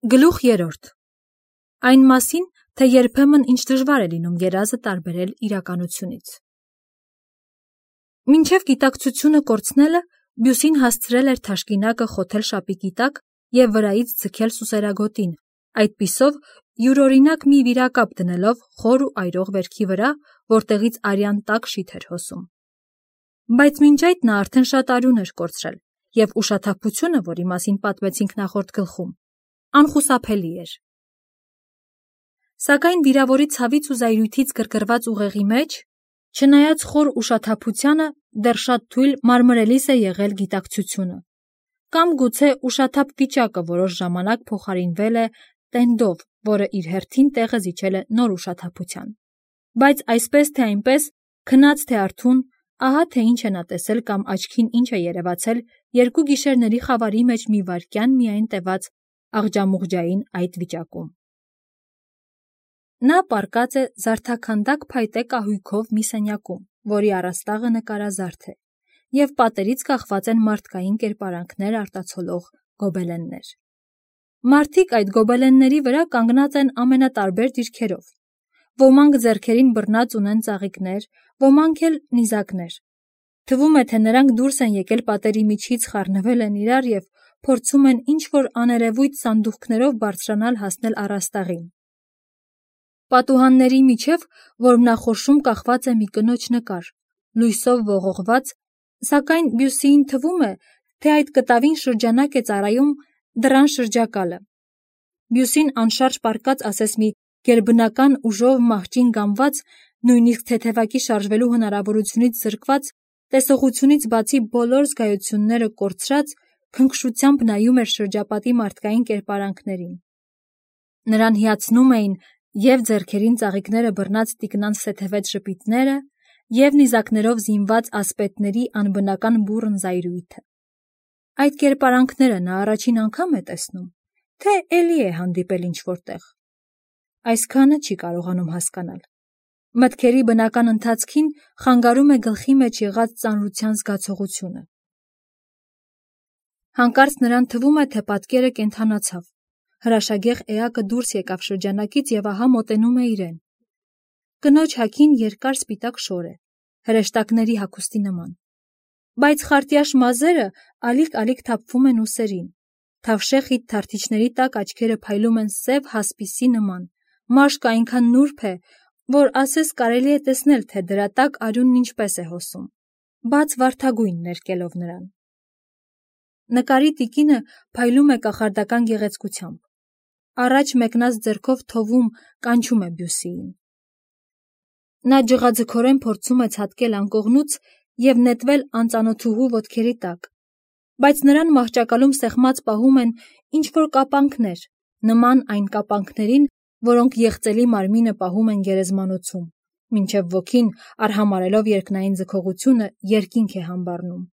Գլուխ 3. Այն մասին, թե երբեմն ինչ դժվար է լինում երազը տարբերել իրականությունից։ Մինչև գիտակցությունը կորցնելը, Բյուսին հասցրել էր թաշկինակը խոթել շապիկի տակ և վրայից ձգել սուսերագոտին, այդպիսով յուրօրինակ մի վիրակապ դնելով խոր ու այրող վերքի վրա, որտեղից արյան տաք շիթ էր հոսում։ Բայց մինչ այդ նա արդեն շատ արյուն էր կորցրել, և ուշաթափությունը, որի մասին պատմեցինք նախորդ գլխում, անխուսափելի էր։ Սակայն վիրավորի ցավից ու զայրույթից գրգռված ուղեղի մեջ, չնայած խոր ուշաթափությանը, դեռ շատ թույլ մարմրելիս է եղել գիտակցությունը, կամ գուցե ուշաթափ վիճակը որոշ ժամանակ փոխարինվել է տենդով, որը իր հերթին տեղը զիջել է նոր ուշաթափության։ Բայց այսպես թե այնպես, քնած թե արթուն, ահա թե ինչ է նա տեսել կամ աչքին ինչ է երևացել երկու գիշերների խավարի մեջ մի վայրկյան միայն տևած աղջամուղջային այդ վիճակում։ Նա պառկած է զարդաքանդակ փայտե կահույքով մի սենյակում, որի առաստաղը նկարազարդ է, և պատերից կախված են մարդկային կերպարանքներ արտացոլող գոբելեններ։ Մարդիկ այդ գոբելենների վրա կանգնած են ամենատարբեր դիրքերով։ Ոմանք ձեռքերին բռնած ունեն ծաղիկներ, ոմանք էլ նիզակներ։ Թվում է, թե նրանք դուրս են եկել պատերի միջից, խառնվել են իրար և փորձում են ինչ-որ աներևույթ սանդուղքներով բարձրանալ հասնել առաստաղին։ Պատուհանների միջև որմնախորշում կախված է մի կնոջ նկար, լույսով ողողված, սակայն Բյուսիին թվում է, թե այդ կտավին շրջանակ է ծառայում դռան շրջակալը։ Բյուսին անշարժ պառկած ասես մի գերբնական ուժով մահճին գամված, նույնիսկ թեթևակի շարժվելու հնարավորությունից զրկված, տեսողությունից բացի բոլոր զգայությունները կորցրած, քնքշությամբ նայում էր շրջապատի մարդկային կերպարանքներին։ Նրան հիացնում էին և ձեռքերին ծաղիկները բռնած տիկնանց թեթևետ ժպիտները, և նիզակներով զինված ասպետների անբնական բուռն զայրույթը։ Այդ կերպարանքները նա առաջին անգամ է տեսնում, թե էլի է հանդիպել ինչ-որ տեղ։ Այսքանը չի կարողանում հասկանալ։ Մտքերի բնական ընթացքին խանգարում է գլխի մեջ եղած ծանրության զգացողությունը։ Հանկարծ նրան թվում է, թե պատկերը կենդանացավ։ Հրաշագեղ էակը դուրս եկավ շրջանակից և ահա մոտենում է իրեն։ Կնոջ հագին երկար սպիտակ շոր է, հրեշտակների հագուստի նման։ Բայց խարտյաշ մազերը ալիք-ալիք թափվում են ուսերին։ Թավշե խիտ թարթիչների տակ աչքերը փայլում են սև հասպիսի նման, մաշկը այնքան նուրբ է, որ ասես կարելի է տեսնել, թե դրա տակ արյունն ինչպես է հոսում, բաց վարդագույն ներկելով նրան։ Նկարի տիկինը փայլում է կախարդական գեղեցկությամբ։ Առաջ մեկնած ձեռքով թովում, կանչում է Բյուսիին։ Նա ջղաձգորեն փորձում է ցատկել անկողնուց և նետվել անծանոթուհու ոտքերի տակ, բայց նրան մահճակալում սեղմած պահում են ինչ-որ կապանքներ, նման այն կապանքներին, որոնք եղծելի մարմինը պահում են գերեզմանոցում, մինչև ոգին, արհամարհելով երկնային ձգողությունը, երկինք է համբառնում։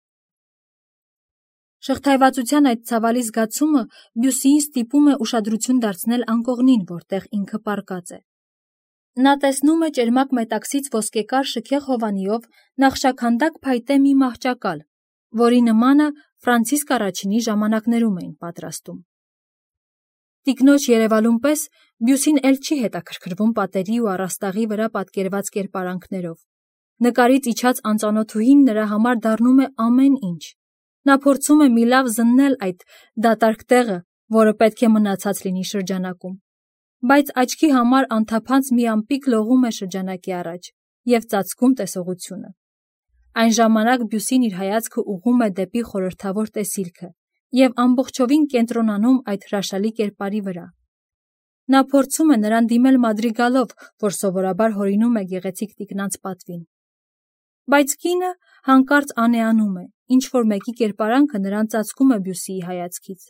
Շղթայվածության այդ ցավալի զգացումը Բյուսիին ստիպում է ուշադրություն դարձնել անկողնին, որտեղ ինքը պառկած է։ Նա տեսնում է ճերմակ մետաքսից ոսկեկար շքեղ հովանիով նախշաքանդակ փայտե մի մահճակալ, որի նմանը Ֆրանցիսկ առաջինի ժամանակներում էին պատրաստում։ Տիկնոջ երևալուն պես Բյուսին էլ չի հետաքրքրվում պատերի ու առաստաղի վրա պատկերված կերպարանքներով։ Նկարից իջած անծանոթուհին նրա համար դառնում է ամեն ինչ։ Նա փորձում է մի լավ զննել այդ դատարկ տեղը, որը պետք է մնացած լինի շրջանակում, բայց աչքի համար անթափանց մի ամպիկ լողում է շրջանակի առաջ և ծածկում տեսողությունը։ Այն ժամանակ Բյուսին իր հայացքը ուղղում է դեպի խորհրդավոր տեսիլքը և ամբողջովին կենտրոնանում այդ հրաշալի կերպարի վրա։ Նա փորձում է նրան դիմել մադրիգալով, որ սովորաբար հորինում է գեղեցիկ տիկնանց պատվին։ Բայց կինը հանկարծ անեանում է, ինչ-որ մեկի կերպարանքը նրան ծածկում է Բյուսիի հայացքից։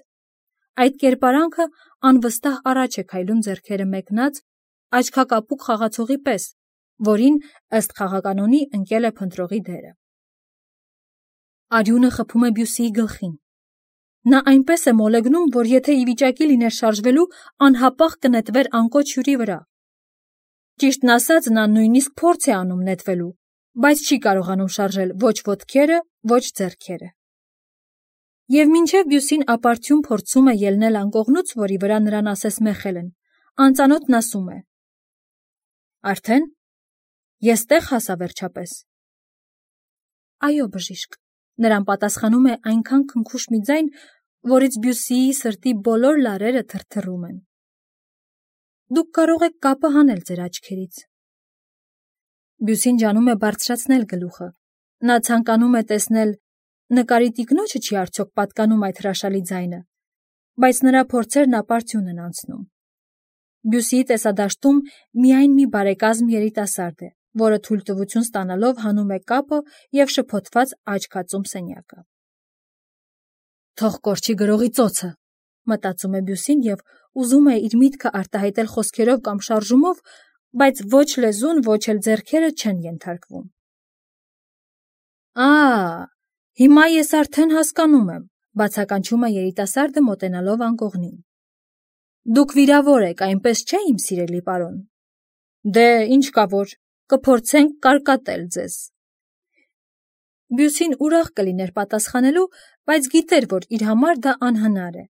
Այդ կերպարանքը անվստահ առաջ է քայլում ձեռքերը մեկնած, աչքակապուկ խաղացողի պես, որին, ըստ խաղականոնի, ընկել է փնտրողի դերը։ Արյունը խփում է Բյուսիի գլխին։ Նա այնպես է մոլեգնում, որ եթե ի վիճակի լիներ շարժվելու, անհապաղ կնետվեր անկոչ հյուրի վրա։ Ճիշտն ասած, նա նույնիսկ փորձ է անում նետվելու, բայց չի կարողանում շարժել ոչ ոտքերը, ոչ ձեռքերը։ Եվ մինչև Բյուսին ապարդյուն փորձում է ելնել անկողնուց, որի վրա նրան ասես մեխել են, անծանոթն ասում է. Արդեն, ես տեղ հասա վերջապես։ Այո, բժիշկ, նրան պատասխանում է այնքան քնքուշ մի ձայն, որից Բյուսիի սրտի բոլոր լարերը թրթռում են։ Դուք կարող եք կապը հանել ձեր աչքերից։ Բյուսին ջանում է բարձրացնել գլուխը։ Նա ցանկանում է տեսնել, նկարի տիկնոջը չի արդյոք պատկանում այդ հրաշալի ձայնը, բայց նրա փորձերն ապարդյուն են անցնում։ Բյուսիի տեսադաշտում միայն մի բարեկազմ երիտասարդ է, որը թույլտվություն ստանալով հանում է կապը և շփոթված աչք ածում սենյակը։ Թող կորչի գրողի ծոցը, մտածում է Բյուսին և ուզում է իր միտքը արտահայտել խոսքերով կամ շարժումով, բայց ոչ լեզուն, ոչ էլ ձեռքերը չեն ենթարկվում։ Հիմա ես արդեն հասկանում եմ, բացականչում է երիտասարդը մոտենալով անկողնին։ Դուք վիրավոր եք, այնպես չէ, իմ սիրելի պարոն։ Դե, ինչ կա որ, կփորձենք կարկատել ձեզ։ Բյուսին ուրախ կլիներ պատասխանելու, բայց գիտեր, որ իր համար դա անհնար է։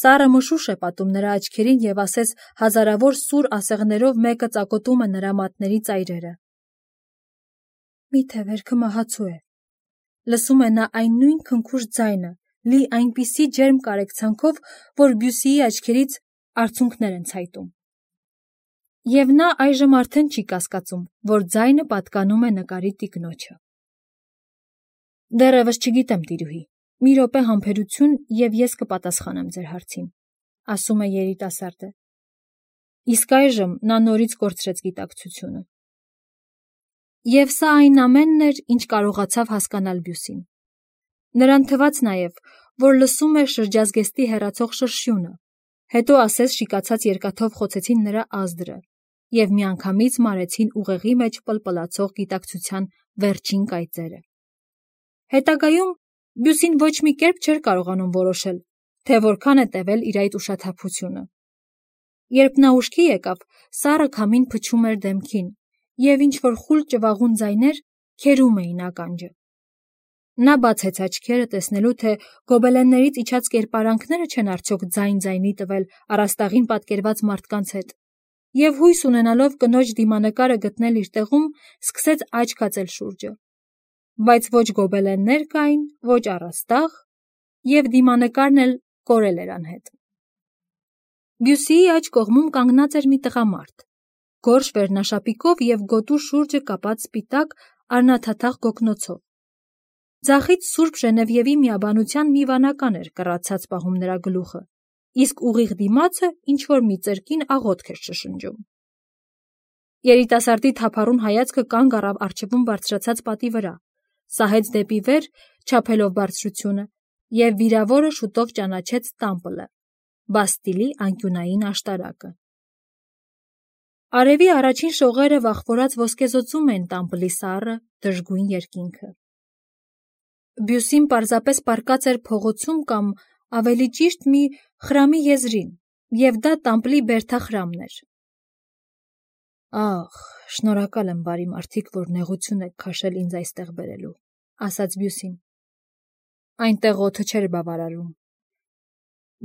Սառը մշուշ է պատում նրա աչքերին և ասես հազարավոր սուր ասեղներով մեկը ծակոտում է նրա մատների ծայրերը։ Միթե վերքը մահացու է։ Լսում է նա այն նույն քնքուշ ձայնը, լի այնպիսի ջերմ կարեկցանքով, որ Բյուսիի աչքերից արցունքներ են ցայտում։ Եվ նա այժմ արդեն չի կասկածում, որ ձայնը պատկանում է նկարի տիկնոջը։ Դեռևս չգիտեմ, տիրուհի, մի րոպե համբերություն և ես կպատասխանեմ ձեր հարցին, ասում է երիտասարդը։ Իսկ այժմ նա նորից կորցրեց գիտակցությունը։ Եվ սա այն ամենն էր, ինչ կարողացավ հասկանալ Բյուսին։ Նրան թվաց նաև, որ լսում է շրջազգեստի հեռացող շրշյունը, հետո ասես շիկացած երկաթով խոցեցին նրա ազդրը և միանգամից մարեցին ուղեղի մեջ պլպլացող գիտակցության վերջին կայծերը։ Հետագայում Բյուսին ոչ մի կերպ չէր կարողանում որոշել, թե որքան է տևել իր այդ ուշաթափությունը։ Երբ նա ուշքի եկավ, սառը քամին փչում էր դեմքին, և ինչ-որ խուլ ճվաղուն ձայներ քերում էին ականջը։ Նա բացեց աչքերը տեսնելու, թե գոբելեններից իջած կերպարանքները չեն արդյոք ձայն-ձայնի տվել առաստաղին պատկերված մարդկանց հետ, և հույս ունենալով կնոջ դիմանկարը գտնել իր տեղում, սկսեց աչք ածել շուրջը։ Բայց ոչ գոբելեններ կային, ոչ առաստաղ, և դիմանկարն էլ կորել էր անհետ։ Բյուսիի աջ կողմում կանգնած էր մի տղամարդ, գորշ վերնաշապիկով և գոտու շուրջը կապած սպիտակ առնաթաթախ գոգնոցով։ Ձախից Սուրբ Ժենևիևի միաբանության մի վանական էր կռացած պահում նրա գլուխը, իսկ ուղիղ դիմացը ինչ-որ մի ծրկին աղոթք էր շշնջում։ Երիտասարդի թափառուն հայացքը կանգ առավ առջևում բարձրացած պատի վրա, սահեց դեպի վեր, չափելով բարձրությունը, և վիրավորը շուտով ճանաչեց Տամպլը, Բաստիլի անկյունային աշտարակը։ Արևի առաջին շողերը վախվորած ոսկեզօծում էին Տամպլի սառը, դժգույն երկինքը։ Բյուսին պարզապես պառկած էր փողոցում կամ, ավելի ճիշտ, մի խրամի եզրին, և դա Տամպլի բերդախրամն էր։ Ախ, շնորհակալ եմ, բարի մարդիկ, որ նեղություն եք քաշել ինձ այստեղ բերելու, ասաց Բյուսին։ Այնտեղ օդը չէր բավարարում։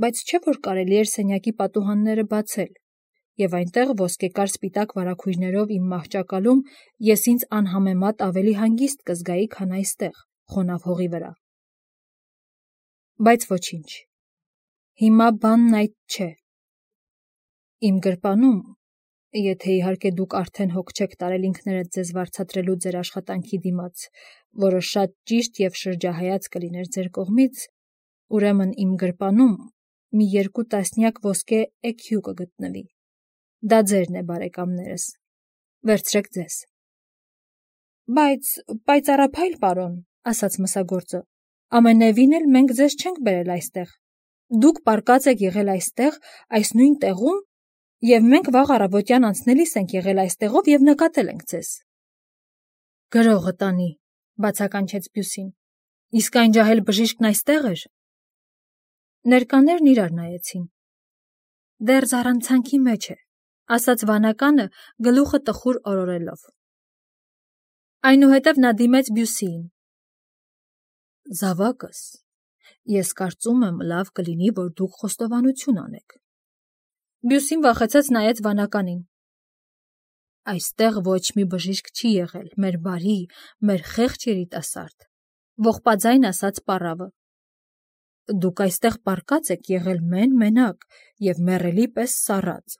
Բայց չէ՞ որ կարելի էր սենյակի պատուհանները բացել, և այնտեղ ոսկեկար սպիտակ վարագույրներով իմ մահճակալում ես ինձ անհամեմատ ավելի հանգիստ կզգայի, քան այստեղ, խոնավ հողի վրա։ Բայց ոչինչ, հիմա բանն այդ չէ։ Իմ գրպանում, եթե իհարկե դուք արդեն հոգ չեք տարել ինքներդ ձեզ վարձատրելու ձեր աշխատանքի դիմաց, որը շատ ճիշտ և շրջահայաց կլիներ ձեր կողմից, ուրեմն իմ գրպանում մի 2 տասնյակ ոսկե էքյու կգտնվի։ Դա ձերն է, բարեկամներս, վերցրեք ձեզ։ Բայց պայծառափայլ պարոն, ասաց մսագործը, ամենևին էլ մենք ձեզ չենք բերել այստեղ։ Դուք պառկած եք եղել այստեղ, այս նույն տեղում, և մենք վաղ առավոտյան անցնելիս ենք եղել այստեղով և նկատել ենք ձեզ։ Գրողը տանի, բացականչեց Բյուսին, իսկ այն ջահել բժիշկն այստեղ էր։ Ներկաներն իրար նայեցին։ Դեռ զառանցանքի մեջ է, ասաց վանականը գլուխը տխուր օրորելով։ Այնուհետև նա դիմեց Բյուսիին։ Զավակս, Ես կարծում եմ, լավ կլինի, որ դուք խոստովանություն անեք։ Բյուսին վախեցած նայեց վանականին։ Այստեղ ոչ մի բժիշկ չի եղել, մեր բարի, մեր խեղճ երիտասարդ, ողբաձայն ասաց պառավը։ Դուք այստեղ պառկած եք եղել մենակ և մեռելի պես սառած։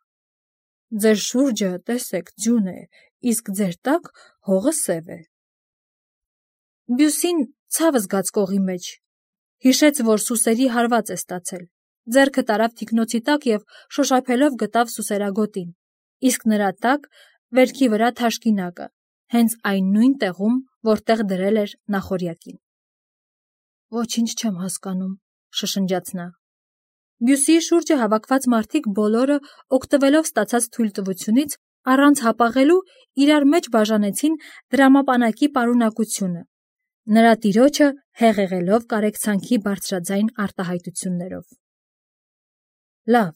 Ձեր շուրջը, տեսեք, ձյուն է, իսկ ձեր տակ հողը սև է։ Բյուսին ցավ զգաց կողի մեջ, հիշեց, որ սուսերի հարված է ստացել, ձեռքը տարավ թիկնոցի տակ և շոշափելով գտավ սուսերագոտին, իսկ նրա տակ վերքի վրա թաշկինակը, հենց այն նույն տեղում, որտեղ դրել էր նախօրյակին։ Ոչինչ չեմ հասկանում, շշնջաց նա։ Բյուսիի շուրջը հավաքված մարդիկ բոլորը, օգտվելով ստացած թույլտվությունից, առանց հապաղելու իրար մեջ բաժանեցին դրամապանակի պարունակությունը, նրա տիրոջը հեղեղելով կարեկցանքի բարձրաձայն արտահայտություններով։ Լավ,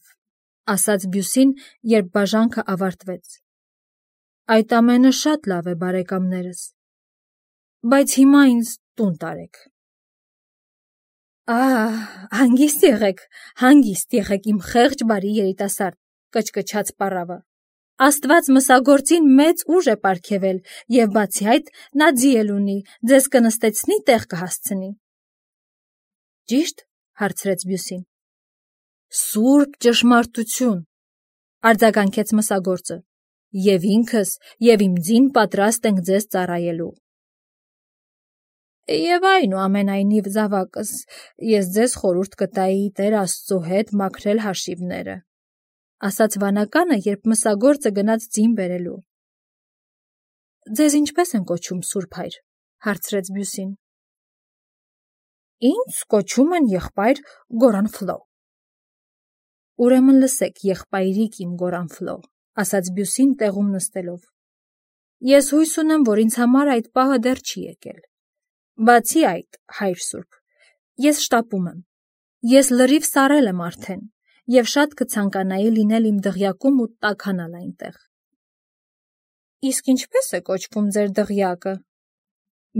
ասաց Բյուսին, երբ բաժանքը ավարտվեց։ Այդ ամենը շատ լավ է, բարեկամներս, բայց հիմա ինձ տուն տարեք։ Հանգիստ եղեք, իմ խեղճ բարի երիտասարդ, կչկչաց պառավը։ Աստված մսագործին մեծ ուժ է պարգևել, և բացի այդ, նա ձի էլ ունի, ձեզ կնստեցնի, տեղ կհասցնի։ Ճի՞շտ, հարցրեց Բյուսին։ Սուրբ ճշմարտություն, արձագանքեց մսագործը, և ինքս, և իմ ձին պատրաստ ենք ձեզ ծառայելու։ Եվ այնուամենայնիվ, զավակս, ես ձեզ խորհուրդ կտայի Տեր Աստծո հետ մաքրել հաշիվները, ասաց վանականը, երբ մսագործը գնաց ձին բերելու։ Ձեզ ինչպես են կոչում, Սուրբ հայր, հարցրեց Բյուսին։ Ինձ կոչում են եղբայր Գորանֆլո։ Ուրեմն լսեք, եղբայրիկ իմ Գորանֆլո, ասաց Բյուսին տեղում նստելով։ Ես հույս ունեմ, որ ինձ համար այդ պահը դեռ չի եկել։ Բացի այդ, հայր Սուրբ, ես շտապում եմ։ Ես լրիվ սառել եմ արդեն, և շատ կցանկանայի լինել իմ դղյակում ու տաքանալ այնտեղ։ Իսկ ինչպես է կոչվում ձեր դղյակը։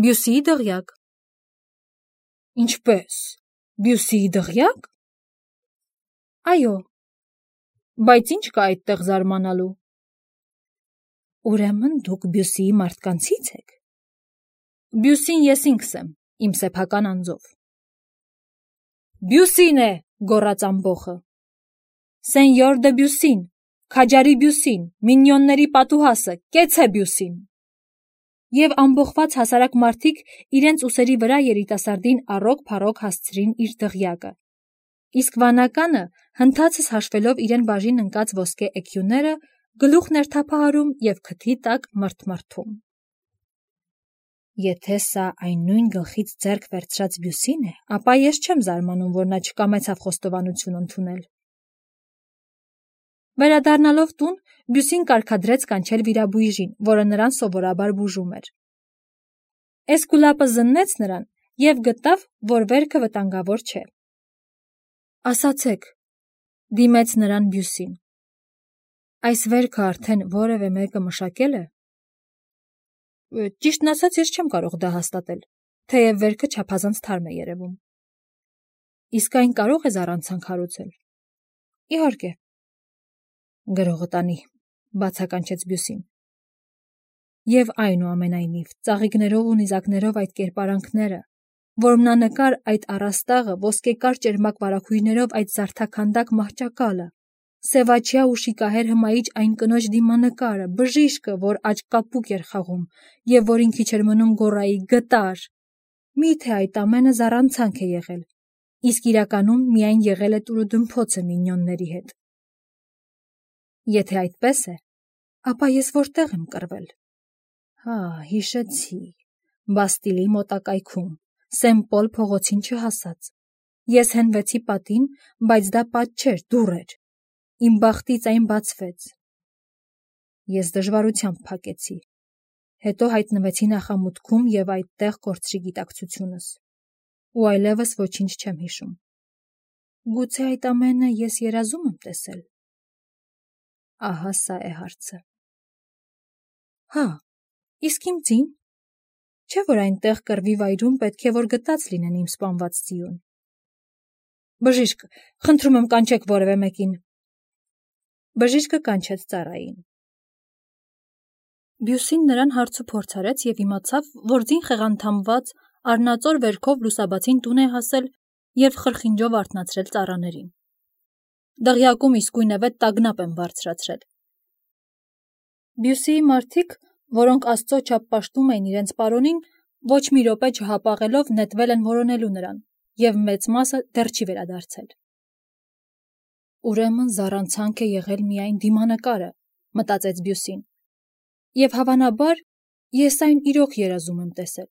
Բյուսիի դղյակ։ Ինչպես։ Բյուսիի դղյակ։ Այո։ Բայց ինչ կա այդտեղ զարմանալու։ Ուրեմն դուք Բյուսիի մարդկանցից եք։ Բյուսին ես ինքս եմ, իմ սեփական անձով։ Բյուսին է, գոռաց ամբոխը։ Սենյոր դը Բյուսին, քաջարի Բյուսին, մինյոնների պատուհասը, կեցե Բյուսին։ Եվ ամբոխված հասարակ մարդիկ իրենց ուսերի վրա երիտասարդին առոք-փառոք հասցրին իր դղյակը, իսկ վանականը, հնդացս հաշվելով իրեն բաժին ընկած ոսկե էքյուները, գլուխն էր թափահարում և քթի տակ մրթմրթում։ Եթե սա այն նույն գլխից ձեռք վերցրած Բյուսին է, ապա ես չեմ զարմանում, որ նա չկամեցավ խոստովանություն ընդունել։ Վերադառնալով տուն, Բյուսին կարգադրեց կանչել վիրաբույժին, որը նրան սովորաբար բուժում էր։ Էսկուլապը զննեց նրան և գտավ, որ վերքը վտանգավոր չէ։ Ասացեք, դիմեց նրան Բյուսին, այս վերքը արդեն որևէ մեկը մշակել է։ Ճիշտն ասած, ես չեմ կարող դա հաստատել, թեև վերքը չափազանց թարմ է երևում։ Իսկ այն կարող է զառանցանք հարուցել։ Իհարկե։ Գրողը տանի, բացականչեց Բյուսին։ Եվ այնուամենայնիվ, ծաղիկներով ու նիզակներով այդ կերպարանքները, որմնանկար այդ առաստաղը, ոսկեկար ճերմակ վարագույրներով այդ զարդաքանդակ մահճակալը, սևաչյա ու շիկահեր հմայիչ այն կնոջ դիմանկարը, բժիշկը, որ աջ-կապուկ էր խաղում, և որին քիչ էր մնում գոռայի գտար։ Միթե այդ ամենը զառանցանք է եղել, իսկ իրականում միայն եղել է տուրուդմփոցը մինյոնների հետ։ Եթե այդպես է, ապա ես որտեղ եմ կռվել։ Հիշեցի, Բաստիլի մոտակայքում, Սեն-Պոլ փողոցին չհասած։ Ես հենվեցի պատին, բայց դա պատ չէր, դուռ էր։ Իմ բախտից այն բացվեց։ Ես դժվարությամբ փակեցի։ Հետո հայտնվեցի նախամուտքում և այդտեղ կորցրի գիտակցությունս։ Ու այլևս ոչինչ չեմ հիշում։ Գուցե այդ ամենը ես երազում եմ տեսել։ Ահա սա է հարցը։ Իսկ իմ ձին։ Չէ՞ որ այնտեղ կռվի վայրում պետք է որ գտած լինեն իմ սպանված ձիուն։ Բժիշկ, խնդրում եմ կանչեք որևէ մեկին։ Բժիշկը կանչեց ծառային։ Բյուսին նրան հարցուփորձ արեց եւ իմացավ, որ ձին խեղանթամված առնածոր վերքով լուսաբացին տուն է հասել եւ խրխինջով արթնացրել ծառաներին։ Դղյակում իսկույնևեթ տագնապ են բարձրացրել։ Բյուսիի մարդիկ, որոնք Աստծո չափ պաշտում էին իրենց պարոնին, ոչ մի րոպե չհապաղելով նետվել են որոնելու նրան, եւ մեծ մասը դեռ չի վերադարձել։ Ուրեմն զառանցանք է եղել միայն դիմանկարը, մտածեց Բյուսին, եւ հավանաբար ես այն իրոք երազում եմ տեսել։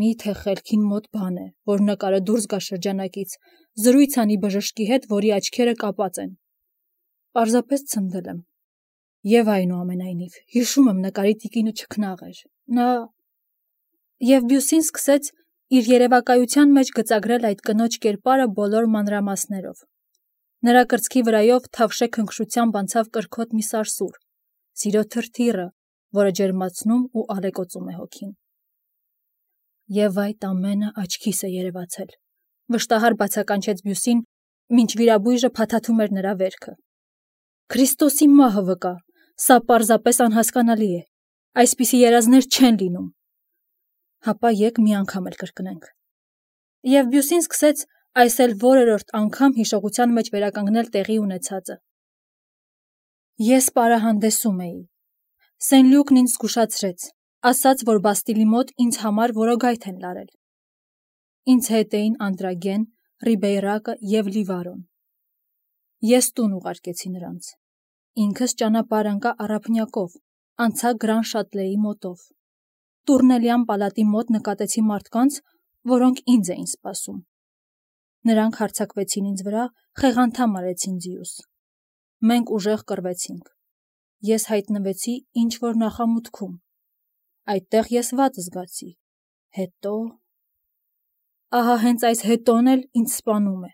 Միթե խելքին մոտ բան է, որ նկարը դուրս գա շրջանակից, զրույց անի բժշկի հետ, որի աչքերը կապած են։ Պարզապես ցնդել եմ։ Եվ այնուամենայնիվ, հիշում եմ նկարի տիկինը չքնաղ էր։ Նա… Եվ Բյուսին սկսեց իր երևակայության մեջ գծագրել այդ կնոջ կերպարը բոլոր մանրամասներով։ Նրա կրծքի վրայով թավշե քնքշությամբ անցավ կրքոտ մի սարսուռ, սիրո թրթիռը, որը ջերմացնում ու ալեկոծում է հոգին։ Եվ այդ ամենը աչքիս է երևացել, վշտահար բացականչեց Բյուսին, մինչ վիրաբույժը փաթաթում էր նրա վերքը։ Քրիստոսի մահը վկա, սա պարզապես անհասկանալի է, այսպիսի երազներ չեն լինում։ Հապա եկ մի անգամ էլ կրկնենք։ Եվ Բյուսին սկսեց այս էլ որերորդ անգամ հիշողության մեջ վերականգնել տեղի ունեցածը։ Ես պարահանդեսում էի։ Սեն Լյուկն ինձ զգուշացրեց, ասաց, որ Բաստիլի մոտ ինձ համար որոգայթ են լարել։ Ինձ հետ էին Անդրագեն, Ռիբեյրակը և Լիվարոն։ Ես տուն ուղարկեցի նրանց։ Ինքս ճանապարհ ընկա առափնյակով, անցա Գրան Շատլեի մոտով։ Տուրնելյան պալատի մոտ նկատեցի մարդկանց, որոնք ինձ էին սպասում։ Նրանք հարձակվեցին ինձ վրա, խեղանթամ արեցին ձիուս։ Մենք ուժեղ կռվեցինք։ Ես հայտնվեցի ինչ-որ նախամուտքում։ Այդտեղ ես վատ զգացի։ Հետո… Ահա հենց այս հետոն էլ ինձ սպանում է։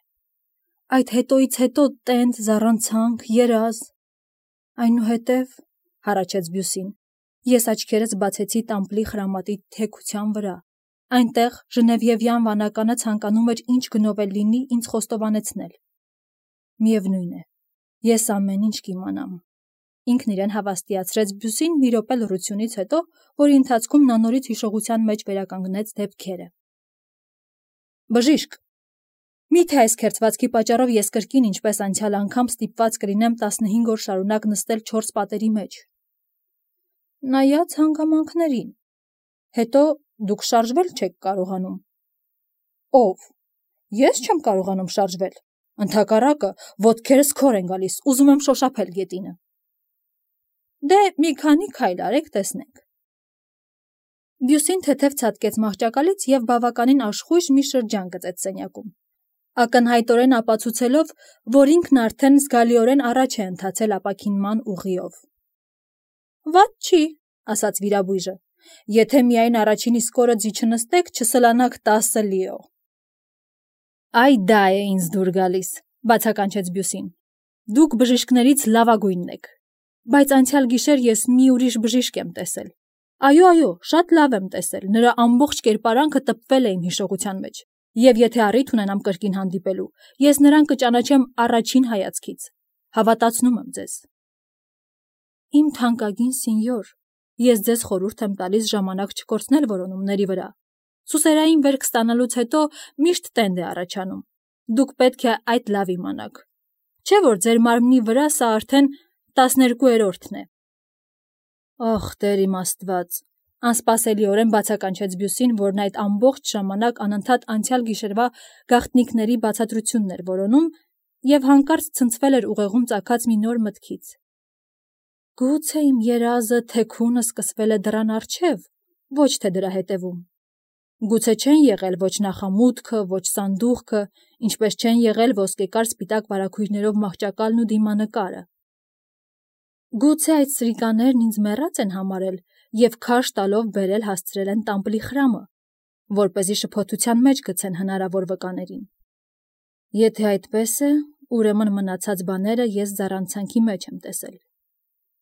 Այդ հետոից հետո տենդ, զառանցանք, երազ… Այնուհետև, հառաչեց Բյուսին, ես աչքերս բացեցի տամպլի խրամատի թեքության վրա։ Այնտեղ ժնևիևյան վանականը ցանկանում էր ինչ գնով էլ լինի ինձ խոստովանեցնել։ Միևնույն է, ես ամեն ինչ կիմանամ։ Ինքն իրեն հավաստիացրեց Բյուսին մի րոպե լռությունից հետո, որի ընթացքում նա նորից հիշողության մեջ վերականգնեց դեպքերը։ Բժիշկ, միթե այս քերծվածքի պատճառով ես կրկին ինչպես անցյալ անգամ ստիպված կլինեմ 15 օր շարունակ նստել 4 պատերի մեջ։ Նայած հանգամանքներին։ Հետո դուք շարժվել չեք կարողանում։ Ով։ Ես չեմ կարողանում շարժվել։ Ընդհակառակը, ոտքերս քոր են գալիս, ուզում եմ շոշափել գետինը։ Դե մի քանի քայլ արեք, տեսնենք։ Բյուսին թեթև ցատկեց մահճակալից և բավականին աշխույժ մի շրջան գծեց սենյակում, ակնհայտորեն ապացուցելով, որ ինքն արդեն զգալիորեն առաջ է ընթացել ապաքինման ուղիով։ Վատ չի, ասաց վիրաբույժը, եթե միայն առաջին իսկ օրը ձի չնստեք, չսլանաք 10 լիո։ Այ դա է ինձ դուր գալիս, բացականչեց Բյուսին։ Դուք բժիշկներից լավագույնն եք։ Բայց անցյալ գիշեր ես մի ուրիշ բժիշկ եմ տեսել։ Այո, շատ լավ եմ տեսել, նրա ամբողջ կերպարանքը տպվել է իմ հիշողության մեջ, և եթե առիթ ունենամ կրկին հանդիպելու, ես նրան կճանաչեմ առաջին հայացքից, հավատացնում եմ ձեզ։ Իմ թանկագին սինյոր, ես ձեզ խորհուրդ եմ տալիս ժամանակ չկորցնել որոնումների վրա։ Սուսերային վերք ստանալուց հետո միշտ տենդ է առաջանում։ Դուք պետք է այդ լավ իմանաք։ Չէ՞ որ ձեր մարմնի վրա սա արդեն 12-րդն է։ Ախ, Տեր իմ Աստված, անսպասելիորեն բացականչեց Բյուսին, որն այդ ամբողջ ժամանակ անընդհատ անցյալ գիշերվա գաղտնիքների բացատրությունն էր որոնում և հանկարծ ցնցվել էր ուղեղում ծագած մի նոր մտքից։ Գուցե իմ երազը թեքունը սկսվել է դռան առջև, ոչ թե դրա հետևում։ Գուցե չեն եղել ոչ նախամուտքը, ոչ սանդուղքը, ինչպես չեն եղել ոսկեկար սպիտակ վարագույրներով մահճակալն ու դիմանկարը։ Գուցե այդ սրիկաներն ինձ մեռած են համարել և քարշ տալով բերել հասցրել են տամպլի խրամը, որպեսզի շփոթության մեջ գցեն հնարավոր վկաներին։ Եթե այդպես է, ուրեմն մնացած բաները ես զառանցանքի մեջ եմ տեսել։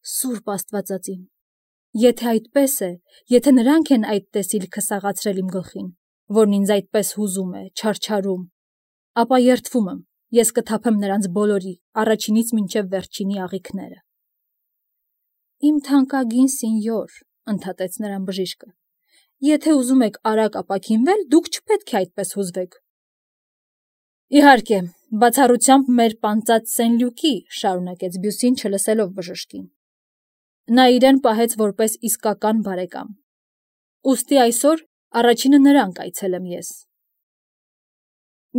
Սուրբ Աստվածածին, եթե այդպես է, եթե նրանք են այդ տեսիլքը սաղացրել իմ գլխին, որն ինձ այդպես հուզում է, չարչարում, ապա երդվում եմ, ես կթափեմ նրանց բոլորի, առաջինից մինչև վերջինի աղիքները։ Իմ թանկագին սինյոր, ընդհատեց նրան բժիշկը, եթե ուզում եք արագ ապաքինվել, դուք չպետք է այդպես հուզվեք։ Իհարկե, բացառությամբ մեր պանծած Սեն-Լյուկի, շարունակեց Բյուսին, չլսելով բժշկին։ Նա իրեն պահեց որպես իսկական բարեկամ։ Ուստի այսօր առաջինը նրան կայցելեմ ես։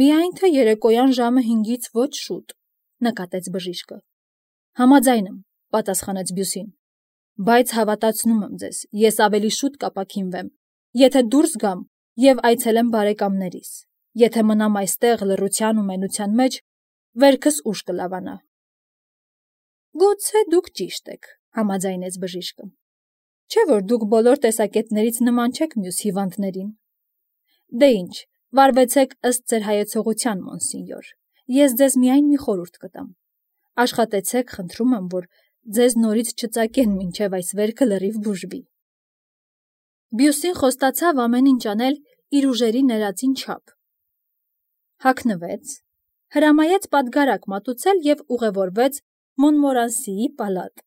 Միայն թե երեկոյան ժամը 5-ից ոչ շուտ, նկատեց բժիշկը։ Համաձայն եմ, պատասխանեց Բյուսին, բայց հավատացնում եմ ձեզ, ես ավելի շուտ կապաքինվեմ, եթե դուրս գամ եւ այցելեմ բարեկամներիս, եթե մնամ այստեղ լռության ու մենության մեջ, վերքս ուշ կլավանա։ Գուցե դուք ճիշտ եք, համաձայնեց բժիշկը։ Չէ՞ որ դուք բոլոր տեսակետներից նման չեք մյուս հիվանդներին։ Դե ինչ, վարվեցեք ըստ ձեր հայեցողության, մոնսինյոր, ես ձեզ միայն մի խորհուրդ կտամ։ Աշխատեցեք, խնդրում եմ, որ ձեզ նորից չծակեն, մինչև այս վերքը լրիվ բուժվի։ Բյուսին խոստացավ ամեն ինչ անել իր ուժերի ներածին չափ։ Հագնվեց, հրամայեց պատգարակ մատուցել եւ ուղևորվեց Մոնմորանսիի պալատ։